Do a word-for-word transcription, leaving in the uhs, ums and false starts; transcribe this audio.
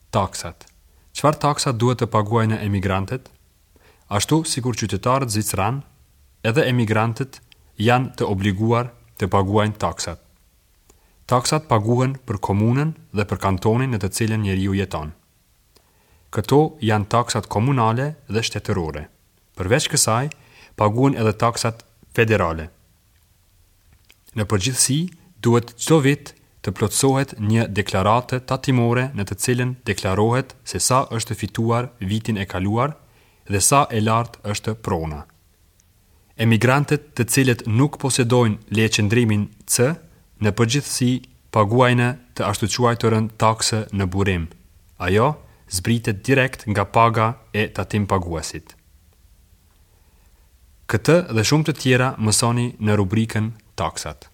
Taksat. Çfarë taksa duhet të paguajnë emigrantët? Ashtu sikur qytetarët zviceranë, edhe emigrantët janë të obliguar të paguajnë taksat. Taksat paguhen për komunën dhe për kantonin në të cilën njeriu jeton. Këto janë taksat komunale dhe shtetërore. Përveç kësaj, paguhen edhe taksat federale. Në përgjithësi, duhet çdo vit të plotësohet një deklaratë tatimore në të cilën deklarohet se sa është fituar vitin e kaluar dhe sa e lartë është prona. Emigrantët të cilët nuk posedojnë lejeqëndrimin C, në përgjithësi paguajnë të ashtuquajturën taksë në burim. Ajo zbritet direkt nga paga e tatimpaguesit. Këtë dhe shumë të tjera mësoni në rubrikën Taksat.